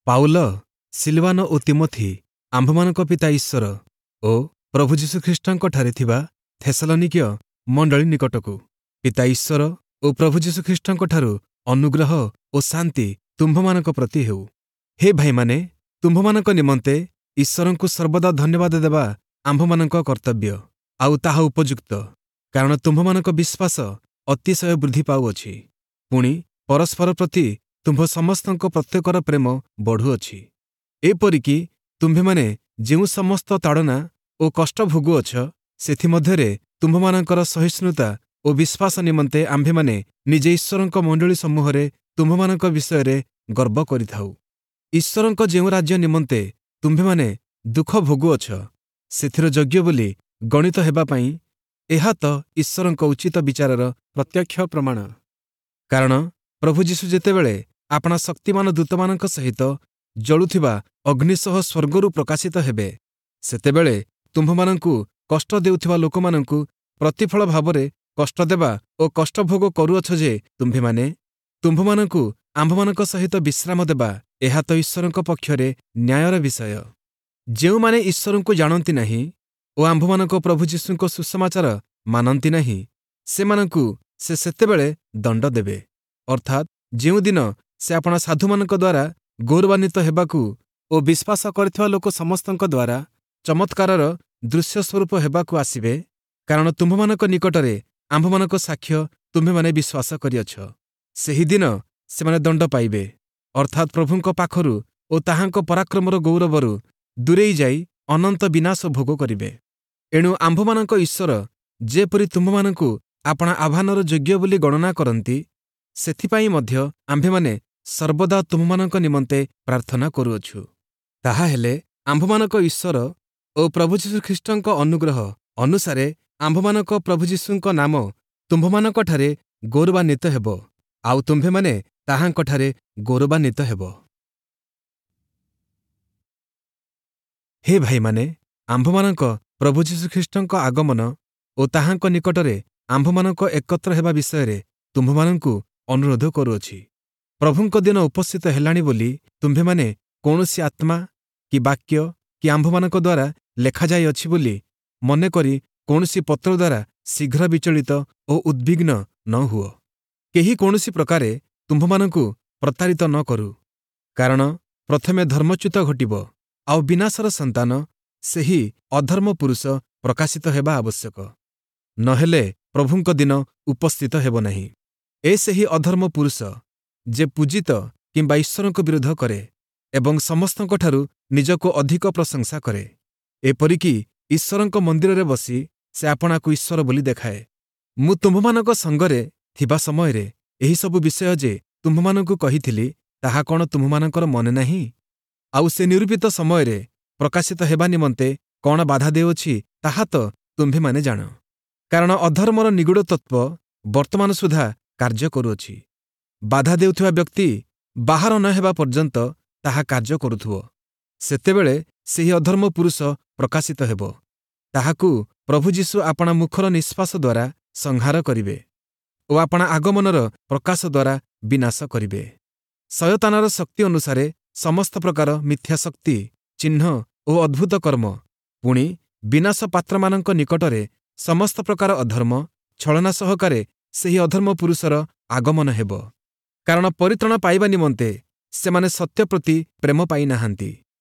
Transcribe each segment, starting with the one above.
Paul, ସିଲବାନ ଓ ତିମୋଥି ଆମ୍ଭମାନଙ୍କ ପିତା ଈଶ୍ୱର ଓ ପ୍ରଭୁ ଯୀଶୁଖ୍ରୀଷ୍ଟଙ୍କଠାରେ ଥିବା ଥେସଲନୀକୀୟ ମଣ୍ଡଳୀ ନିକଟକୁ, ପିତା ଈଶ୍ୱର ଓ ପ୍ରଭୁ ଯୀଶୁଖ୍ରୀଷ୍ଟଙ୍କଠାରୁ ଅନୁଗ୍ରହ ଓ ଶାନ୍ତି ତୁମ୍ଭମାନଙ୍କ ପ୍ରତି ହେଉ। ହେ ଭାଇମାନେ, ତୁମ୍ଭମାନଙ୍କ ନିମନ୍ତେ ଈଶ୍ୱରଙ୍କୁ ସର୍ବଦା ଧନ୍ୟବାଦ ଦେବା ଆମ୍ଭମାନଙ୍କ କର୍ତ୍ତବ୍ୟ, ଆଉ ତାହା ଉପଯୁକ୍ତ, କାରଣ ତୁମ୍ଭମାନଙ୍କ ବିଶ୍ୱାସ ଅତିଶୟ ବୃଦ୍ଧି ପାଉଅଛି, ପୁଣି ପରସ୍ପର ପ୍ରତି ତୁମ୍ଭ ସମସ୍ତଙ୍କ ପ୍ରତ୍ୟେକର ପ୍ରେମ ବଢ଼ୁଅଛି। ଏପରିକି ତୁମ୍ଭେମାନେ ଯେଉଁ ସମସ୍ତ ତାଡ଼ନା ଓ କଷ୍ଟ ଭୋଗୁଅଛ, ସେଥିମଧ୍ୟରେ ତୁମ୍ଭମାନଙ୍କର ସହିଷ୍ଣୁତା ଓ ବିଶ୍ୱାସ ନିମନ୍ତେ ଆମ୍ଭେମାନେ ନିଜେ ଈଶ୍ୱରଙ୍କ ମଣ୍ଡଳୀ ସମୂହରେ ତୁମ୍ଭମାନଙ୍କ ବିଷୟରେ ଗର୍ବ କରିଥାଉ। ଈଶ୍ୱରଙ୍କ ଯେଉଁ ରାଜ୍ୟ ନିମନ୍ତେ ତୁମ୍ଭେମାନେ ଦୁଃଖ ଭୋଗୁଅଛ, ସେଥିର ଯୋଗ୍ୟ ବୋଲି ଗଣିତ ହେବା ପାଇଁ ଏହା ତ ଈଶ୍ୱରଙ୍କ ଉଚିତ ବିଚାରର ପ୍ରତ୍ୟକ୍ଷ ପ୍ରମାଣ। କାରଣ ପ୍ରଭୁ ଯୀଶୁ ଯେତେବେଳେ ଆପଣା ଶକ୍ତିମାନ ଦୂତମାନଙ୍କ ସହିତ ଜଳୁଥିବା ଅଗ୍ନି ସହ ସ୍ୱର୍ଗରୁ ପ୍ରକାଶିତ ହେବେ, ସେତେବେଳେ ତୁମ୍ଭମାନଙ୍କୁ କଷ୍ଟ ଦେଉଥିବା ଲୋକମାନଙ୍କୁ ପ୍ରତିଫଳ ଭାବରେ କଷ୍ଟ ଦେବା ଓ କଷ୍ଟ ଭୋଗ କରୁଅଛ ଯେ ତୁମ୍ଭେମାନେ, ତୁମ୍ଭମାନଙ୍କୁ ଆମ୍ଭମାନଙ୍କ ସହିତ ବିଶ୍ରାମ ଦେବା, ଏହା ତ ଈଶ୍ୱରଙ୍କ ପକ୍ଷରେ ନ୍ୟାୟର ବିଷୟ। ଯେଉଁମାନେ ଈଶ୍ୱରଙ୍କୁ ଜାଣନ୍ତି ନାହିଁ ଓ ଆମ୍ଭମାନଙ୍କ ପ୍ରଭୁ ଯୀଶୁଙ୍କ ସୁସମାଚାର ମାନନ୍ତି ନାହିଁ, ସେମାନଙ୍କୁ ସେ ସେତେବେଳେ ଦଣ୍ଡ ଦେବେ, ଅର୍ଥାତ୍ ଯେଉଁଦିନ ସେ ଆପଣା ସାଧୁମାନଙ୍କ ଦ୍ୱାରା ଗୌରବାନ୍ୱିତ ହେବାକୁ ଓ ବିଶ୍ୱାସ କରିଥିବା ଲୋକ ସମସ୍ତଙ୍କ ଦ୍ୱାରା ଚମତ୍କାରର ଦୃଶ୍ୟ ସ୍ୱରୂପ ହେବାକୁ ଆସିବେ। କାରଣ ତୁମ୍ଭମାନଙ୍କ ନିକଟରେ ଆମ୍ଭମାନଙ୍କ ସାକ୍ଷ୍ୟ ତୁମ୍ଭେମାନେ ବିଶ୍ୱାସ କରିଅଛ। ସେହିଦିନ ସେମାନେ ଦଣ୍ଡ ପାଇବେ, ଅର୍ଥାତ୍ ପ୍ରଭୁଙ୍କ ପାଖରୁ ଓ ତାହାଙ୍କ ପରାକ୍ରମର ଗୌରବରୁ ଦୂରେଇ ଯାଇ ଅନନ୍ତ ବିନାଶ ଭୋଗ କରିବେ। ଏଣୁ ଆମ୍ଭମାନଙ୍କ ଈଶ୍ୱର ଯେପରି ତୁମ୍ଭମାନଙ୍କୁ ଆପଣା ଆହ୍ୱାନର ଯୋଗ୍ୟ ବୋଲି ଗଣନା କରନ୍ତି, ସେଥିପାଇଁ ମଧ୍ୟ ଆମ୍ଭେମାନେ ସର୍ବଦା ତୁମ୍ଭମାନଙ୍କ ନିମନ୍ତେ ପ୍ରାର୍ଥନା କରୁଅଛୁ। ତାହାହେଲେ ଆମ୍ଭମାନଙ୍କ ଈଶ୍ୱର ଓ ପ୍ରଭୁ ଯୀଶୁଖ୍ରୀଷ୍ଟଙ୍କ ଅନୁଗ୍ରହ ଅନୁସାରେ ଆମ୍ଭମାନଙ୍କ ପ୍ରଭୁ ଯୀଶୁଙ୍କ ନାମ ତୁମ୍ଭମାନଙ୍କଠାରେ ଗୌରବାନ୍ୱିତ ହେବ, ଆଉ ତୁମ୍ଭେମାନେ ତାହାଙ୍କଠାରେ ଗୌରବାନ୍ୱିତ ହେବ। ହେ ଭାଇମାନେ, ଆମ୍ଭମାନଙ୍କ ପ୍ରଭୁ ଯୀଶୁଖ୍ରୀଷ୍ଟଙ୍କ ଆଗମନ ଓ ତାହାଙ୍କ ନିକଟରେ ଆମ୍ଭମାନଙ୍କ ଏକତ୍ର ହେବା ବିଷୟରେ ତୁମ୍ଭମାନଙ୍କୁ ଅନୁରୋଧ କରୁଅଛି। ପ୍ରଭୁଙ୍କ ଦିନ ଉପସ୍ଥିତ ହେଲାଣି ବୋଲି ତୁମ୍ଭେମାନେ କୌଣସି ଆତ୍ମା କି ବାକ୍ୟ କି ଆମ୍ଭମାନଙ୍କ ଦ୍ୱାରା ଲେଖାଯାଇଅଛି ବୋଲି ମନେକରି କୌଣସି ପତ୍ର ଦ୍ୱାରା ଶୀଘ୍ର ବିଚଳିତ ଓ ଉଦ୍ବିଗ୍ନ ନ ହୁଅ। କେହି କୌଣସି ପ୍ରକାରେ ତୁମ୍ଭମାନଙ୍କୁ ପ୍ରତାରିତ ନ କରୁ। କାରଣ ପ୍ରଥମେ ଧର୍ମଚ୍ୟୁତ ଘଟିବ, ଆଉ ବିନାଶର ସନ୍ତାନ ସେହି ଅଧର୍ମ ପୁରୁଷ ପ୍ରକାଶିତ ହେବା ଆବଶ୍ୟକ। ନହେଲେ ପ୍ରଭୁଙ୍କ ଦିନ ଉପସ୍ଥିତ ହେବ ନାହିଁ। ଏ ସେହି ଅଧର୍ମ ପୁରୁଷ ଯେ ପୂଜିତ କିମ୍ବା ଈଶ୍ୱରଙ୍କ ବିରୋଧ କରେ ଏବଂ ସମସ୍ତଙ୍କଠାରୁ ନିଜକୁ ଅଧିକ ପ୍ରଶଂସା କରେ। ଏପରିକି ଈଶ୍ୱରଙ୍କ ମନ୍ଦିରରେ ବସି ସେ ଆପଣାକୁ ଈଶ୍ୱର ବୋଲି ଦେଖାଏ। ମୁଁ ତୁମ୍ଭମାନଙ୍କ ସଙ୍ଗରେ ଥିବା ସମୟରେ ଏହିସବୁ ବିଷୟ ଯେ ତୁମ୍ଭମାନଙ୍କୁ କହିଥିଲି, ତାହା କ'ଣ ତୁମ୍ଭମାନଙ୍କର ମନେ ନାହିଁ? ଆଉ ସେ ନିରୂପିତ ସମୟରେ ପ୍ରକାଶିତ ହେବା ନିମନ୍ତେ କ'ଣ ବାଧା ଦେଉଅଛି, ତାହା ତ ତୁମ୍ଭେମାନେ ଜାଣ। କାରଣ ଅଧର୍ମର ନିଗୂଢ଼ ତତ୍ତ୍ୱ ବର୍ତ୍ତମାନ ସୁଦ୍ଧା କାର୍ଯ୍ୟ କରୁଅଛି। ବାଧା ଦେଉଥିବା ବ୍ୟକ୍ତି ବାହାର ନ ହେବା ପର୍ଯ୍ୟନ୍ତ ତାହା କାର୍ଯ୍ୟ କରୁଥିବ। ସେତେବେଳେ ସେହି ଅଧର୍ମ ପୁରୁଷ ପ୍ରକାଶିତ ହେବ। ତାହାକୁ ପ୍ରଭୁ ଯୀଶୁ ଆପଣା ମୁଖର ନିଶ୍ୱାସ ଦ୍ୱାରା ସଂହାର କରିବେ ଓ ଆପଣା ଆଗମନର ପ୍ରକାଶ ଦ୍ୱାରା ବିନାଶ କରିବେ। ଶୟତାନର ଶକ୍ତି ଅନୁସାରେ ସମସ୍ତ ପ୍ରକାର ମିଥ୍ୟା ଶକ୍ତି, ଚିହ୍ନ ଓ ଅଦ୍ଭୁତ କର୍ମ, ପୁଣି ବିନାଶ ପାତ୍ରମାନଙ୍କ ନିକଟରେ ସମସ୍ତ ପ୍ରକାର ଅଧର୍ମ, ଛଳନା ସହକାରେ ସେହି ଅଧର୍ମ ପୁରୁଷର ଆଗମନ ହେବ। କାରଣ ପରିତ୍ରାଣ ପାଇବା ନିମନ୍ତେ ସେମାନେ ସତ୍ୟ ପ୍ରତି ପ୍ରେମ ପାଇନାହାନ୍ତି।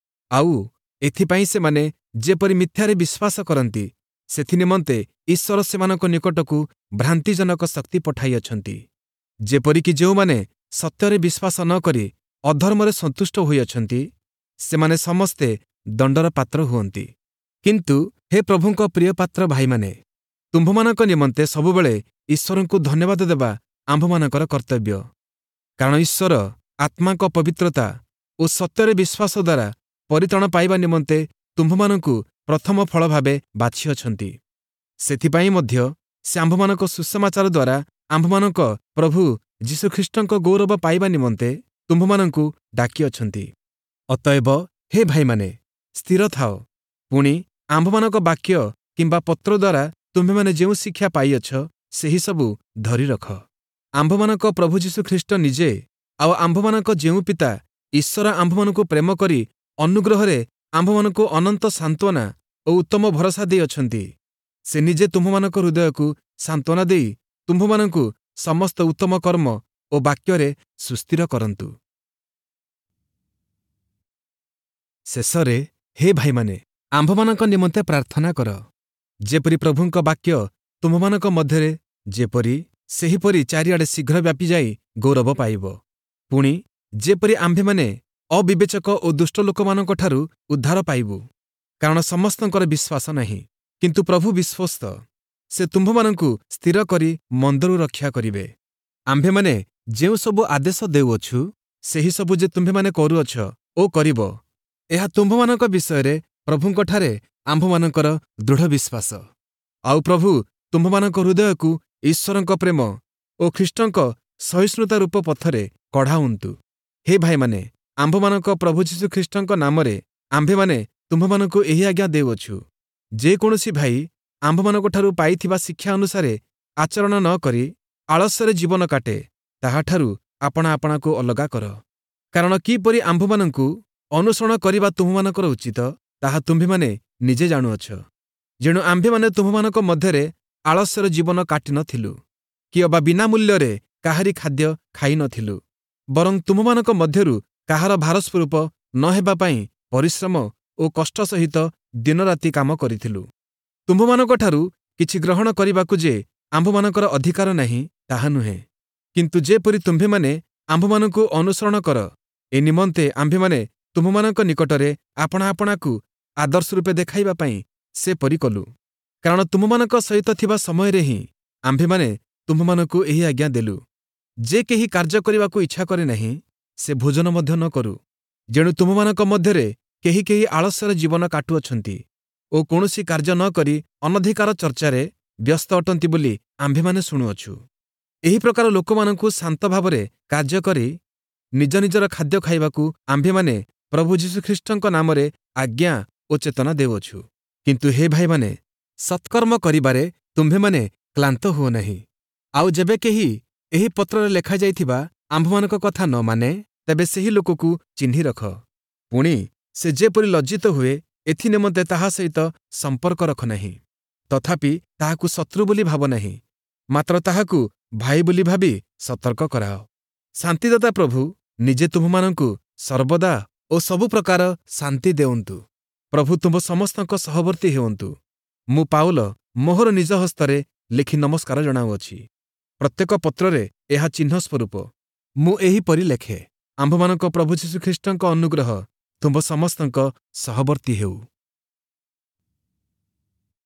ଆଉ ଏଥିପାଇଁ ସେମାନେ ଯେପରି ମିଥ୍ୟାରେ ବିଶ୍ୱାସ କରନ୍ତି, ସେଥିନିମନ୍ତେ ଈଶ୍ୱର ସେମାନଙ୍କ ନିକଟକୁ ଭ୍ରାନ୍ତିଜନକ ଶକ୍ତି ପଠାଇଅଛନ୍ତି। ଯେପରିକି ଯେଉଁମାନେ ସତ୍ୟରେ ବିଶ୍ୱାସ ନ କରି ଅଧର୍ମରେ ସନ୍ତୁଷ୍ଟ ହୋଇଅଛନ୍ତି, ସେମାନେ ସମସ୍ତେ ଦଣ୍ଡର ପାତ୍ର ହୁଅନ୍ତି। କିନ୍ତୁ ହେ ପ୍ରଭୁଙ୍କ ପ୍ରିୟପାତ୍ର ଭାଇମାନେ, ତୁମ୍ଭମାନଙ୍କ ନିମନ୍ତେ ସବୁବେଳେ ଈଶ୍ୱରଙ୍କୁ ଧନ୍ୟବାଦ ଦେବା ଆମ୍ଭମାନଙ୍କର କର୍ତ୍ତବ୍ୟ। କାରଣ ଈଶ୍ୱର ଆତ୍ମାଙ୍କ ପବିତ୍ରତା ଓ ସତ୍ୟରେ ବିଶ୍ୱାସ ଦ୍ୱାରା ପରିତ୍ରାଣ ପାଇବା ନିମନ୍ତେ ତୁମ୍ଭମାନଙ୍କୁ ପ୍ରଥମ ଫଳ ଭାବେ ବାଛିଅଛନ୍ତି। ସେଥିପାଇଁ ମଧ୍ୟ ସେ ଆମ୍ଭମାନଙ୍କ ସୁସମାଚାର ଦ୍ୱାରା ଆମ୍ଭମାନଙ୍କ ପ୍ରଭୁ ଯୀଶୁଖ୍ରୀଷ୍ଟଙ୍କ ଗୌରବ ପାଇବା ନିମନ୍ତେ ତୁମ୍ଭମାନଙ୍କୁ ଡାକିଅଛନ୍ତି। ଅତଏବ ହେ ଭାଇମାନେ, ସ୍ଥିର ଥାଅ। ପୁଣି ଆମ୍ଭମାନଙ୍କ ବାକ୍ୟ କିମ୍ବା ପତ୍ର ଦ୍ୱାରା ତୁମ୍ଭେମାନେ ଯେଉଁ ଶିକ୍ଷା ପାଇଅଛ, ସେହିସବୁ ଧରି ରଖ। ଆମ୍ଭମାନଙ୍କ ପ୍ରଭୁ ଯୀଶୁଖ୍ରୀଷ୍ଟ ନିଜେ ଆଉ ଆମ୍ଭମାନଙ୍କ ଯେଉଁ ପିତା ଈଶ୍ୱର ଆମ୍ଭମାନଙ୍କୁ ପ୍ରେମ କରି ଅନୁଗ୍ରହରେ ଆମ୍ଭମାନଙ୍କୁ ଅନନ୍ତ ସାନ୍ତ୍ୱନା ଓ ଉତ୍ତମ ଭରସା ଦେଇଅଛନ୍ତି। ସେ ନିଜେ ତୁମ୍ଭମାନଙ୍କ ହୃଦୟକୁ ସାନ୍ତ୍ୱନା ଦେଇ ତୁମ୍ଭମାନଙ୍କୁ ସମସ୍ତ ଉତ୍ତମ କର୍ମ ଓ ବାକ୍ୟରେ ସୁସ୍ଥିର କରନ୍ତୁ। ଶେଷରେ ହେ ଭାଇମାନେ, ଆମ୍ଭମାନଙ୍କ ନିମନ୍ତେ ପ୍ରାର୍ଥନା କର, ଯେପରି ପ୍ରଭୁଙ୍କ ବାକ୍ୟ ତୁମ୍ଭମାନଙ୍କ ମଧ୍ୟରେ ଯେପରି ସେହିପରି ଚାରିଆଡ଼େ ଶୀଘ୍ର ବ୍ୟାପିଯାଇ ଗୌରବ ପାଇବ। ପୁଣି ଯେପରି ଆମ୍ଭେମାନେ ଅବିବେଚକ ଓ ଦୁଷ୍ଟ ଲୋକମାନଙ୍କଠାରୁ ଉଦ୍ଧାର ପାଇବୁ। କାରଣ ସମସ୍ତଙ୍କର ବିଶ୍ୱାସ ନାହିଁ, କିନ୍ତୁ ପ୍ରଭୁ ବିଶ୍ୱସ୍ତ। ସେ ତୁମ୍ଭମାନଙ୍କୁ ସ୍ଥିର କରି ମନ୍ଦରୁ ରକ୍ଷା କରିବେ। ଆମ୍ଭେମାନେ ଯେଉଁସବୁ ଆଦେଶ ଦେଉଅଛୁ, ସେହିସବୁ ଯେ ତୁମ୍ଭେମାନେ କରୁଅଛ ଓ କରିବ, ଏହା ତୁମ୍ଭମାନଙ୍କ ବିଷୟରେ ପ୍ରଭୁଙ୍କଠାରେ ଆମ୍ଭମାନଙ୍କର ଦୃଢ଼ ବିଶ୍ୱାସ। ଆଉ ପ୍ରଭୁ ତୁମ୍ଭମାନଙ୍କ ହୃଦୟକୁ ଈଶ୍ୱରଙ୍କ ପ୍ରେମ ଓ ଖ୍ରୀଷ୍ଟଙ୍କ ସହିଷ୍ଣୁତା ରୂପ ପଥରେ କଢ଼ାଉନ୍ତୁ। ହେ ଭାଇମାନେ, ଆମ୍ଭମାନଙ୍କ ପ୍ରଭୁ ଯୀଶୁଖ୍ରୀଷ୍ଟଙ୍କ ନାମରେ ଆମ୍ଭେମାନେ ତୁମ୍ଭମାନଙ୍କୁ ଏହି ଆଜ୍ଞା ଦେଉଅଛୁ, ଯେକୌଣସି ଭାଇ ଆମ୍ଭମାନଙ୍କଠାରୁ ପାଇଥିବା ଶିକ୍ଷା ଅନୁସାରେ ଆଚରଣ ନ କରି ଆଳସ୍ୟରେ ଜୀବନ କାଟେ, ତାହାଠାରୁ ଆପଣା ଆପଣାକୁ ଅଲଗା କର। କାରଣ କିପରି ଆମ୍ଭମାନଙ୍କୁ ଅନୁସରଣ କରିବା ତୁମ୍ଭମାନଙ୍କର ଉଚିତ, ତାହା ତୁମ୍ଭେମାନେ ନିଜେ ଜାଣୁଅଛ। ଯେଣୁ ଆମ୍ଭେମାନେ ତୁମ୍ଭମାନଙ୍କ ମଧ୍ୟରେ ଆଳସ୍ୟର ଜୀବନ କାଟିନଥିଲୁ, କି ଅବା ବିନା ମୂଲ୍ୟରେ କାହାରି ଖାଦ୍ୟ ଖାଇନଥିଲୁ, ବରଂ ତୁମ୍ଭମାନଙ୍କ ମଧ୍ୟରୁ କାହାର ଭାରସ୍ୱରୂପ ନ ହେବା ପାଇଁ ପରିଶ୍ରମ ଓ କଷ୍ଟ ସହିତ ଦିନରାତି କାମ କରିଥିଲୁ। ତୁମ୍ଭମାନଙ୍କଠାରୁ କିଛି ଗ୍ରହଣ କରିବାକୁ ଯେ ଆମ୍ଭମାନଙ୍କର ଅଧିକାର ନାହିଁ, ତାହା ନୁହେଁ, କିନ୍ତୁ ଯେପରି ତୁମ୍ଭେମାନେ ଆମ୍ଭମାନଙ୍କୁ ଅନୁସରଣ କର, ଏ ନିମନ୍ତେ ଆମ୍ଭେମାନେ ତୁମ୍ଭମାନଙ୍କ ନିକଟରେ ଆପଣା ଆପଣାକୁ ଆଦର୍ଶ ରୂପେ ଦେଖାଇବା ପାଇଁ ସେପରି କଲୁ। କାରଣ ତୁମ୍ଭମାନଙ୍କ ସହିତ ଥିବା ସମୟରେ ହିଁ ଆମ୍ଭେମାନେ ତୁମ୍ଭମାନଙ୍କୁ ଏହି ଆଜ୍ଞା ଦେଲୁ, ଯେ କେହି କାର୍ଯ୍ୟ କରିବାକୁ ଇଚ୍ଛା କରେ ନାହିଁ, ସେ ଭୋଜନ ମଧ୍ୟ ନ କରୁ। ଯେଣୁ ତୁମ୍ଭମାନଙ୍କ ମଧ୍ୟରେ କେହି କେହି ଆଳସ୍ୟର ଜୀବନ କାଟୁଅଛନ୍ତି ଓ କୌଣସି କାର୍ଯ୍ୟ ନ କରି ଅନଧିକାର ଚର୍ଚ୍ଚାରେ ବ୍ୟସ୍ତ ଅଟନ୍ତି ବୋଲି ଆମ୍ଭେମାନେ ଶୁଣୁଅଛୁ। ଏହି ପ୍ରକାର ଲୋକମାନଙ୍କୁ ଶାନ୍ତ ଭାବରେ କାର୍ଯ୍ୟ କରି ନିଜ ନିଜର ଖାଦ୍ୟ ଖାଇବାକୁ ଆମ୍ଭେମାନେ ପ୍ରଭୁ ଯୀଶୁଖ୍ରୀଷ୍ଟଙ୍କ ନାମରେ ଆଜ୍ଞା ଓ ଚେତନା ଦେଉଅଛୁ। କିନ୍ତୁ ହେ ଭାଇମାନେ, ସତ୍କର୍ମ କରିବାରେ ତୁମ୍ଭେମାନେ କ୍ଳାନ୍ତ ହୁଅ ନାହିଁ। ଆଉ ଯେବେ କେହି ଏହି ପତ୍ରରେ ଲେଖାଯାଇଥିବା ଆମ୍ଭମାନଙ୍କ କଥା ନ ମାନେ, ତେବେ ସେହି ଲୋକକୁ ଚିହ୍ନି ରଖ। ପୁଣି ସେ ଯେପରି ଲଜ୍ଜିତ ହୁଏ, ଏଥି ନିମନ୍ତେ ତାହା ସହିତ ସମ୍ପର୍କ ରଖ ନାହିଁ। ତଥାପି ତାହାକୁ ଶତ୍ରୁ ବୋଲି ଭାବ ନାହିଁ, ମାତ୍ର ତାହାକୁ ଭାଇ ବୋଲି ଭାବି ସତର୍କ କରାଅ। ଶାନ୍ତିଦାତା ପ୍ରଭୁ ନିଜେ ତୁମ୍ଭମାନଙ୍କୁ ସର୍ବଦା ଓ ସବୁ ପ୍ରକାର ଶାନ୍ତି ଦେଉନ୍ତୁ। ପ୍ରଭୁ ତୁମ୍ଭ ସମସ୍ତଙ୍କ ସହବର୍ତ୍ତୀ ହେଉନ୍ତୁ। ମୁଁ ପାଉଲ ମୋହର ନିଜ ହସ୍ତରେ ଲେଖି ନମସ୍କାର ଜଣାଉଅଛି। ପ୍ରତ୍ୟେକ ପତ୍ରରେ ଏହା ଚିହ୍ନ ସ୍ୱରୂପ ମୁଁ ଏହିପରି ଲେଖେ। ଆମ୍ଭମାନଙ୍କ ପ୍ରଭୁ ଯୀଶୁଖ୍ରୀଷ୍ଟଙ୍କ ଅନୁଗ୍ରହ ତୁମ୍ଭ ସମସ୍ତଙ୍କ ସହବର୍ତ୍ତୀ ହେଉ।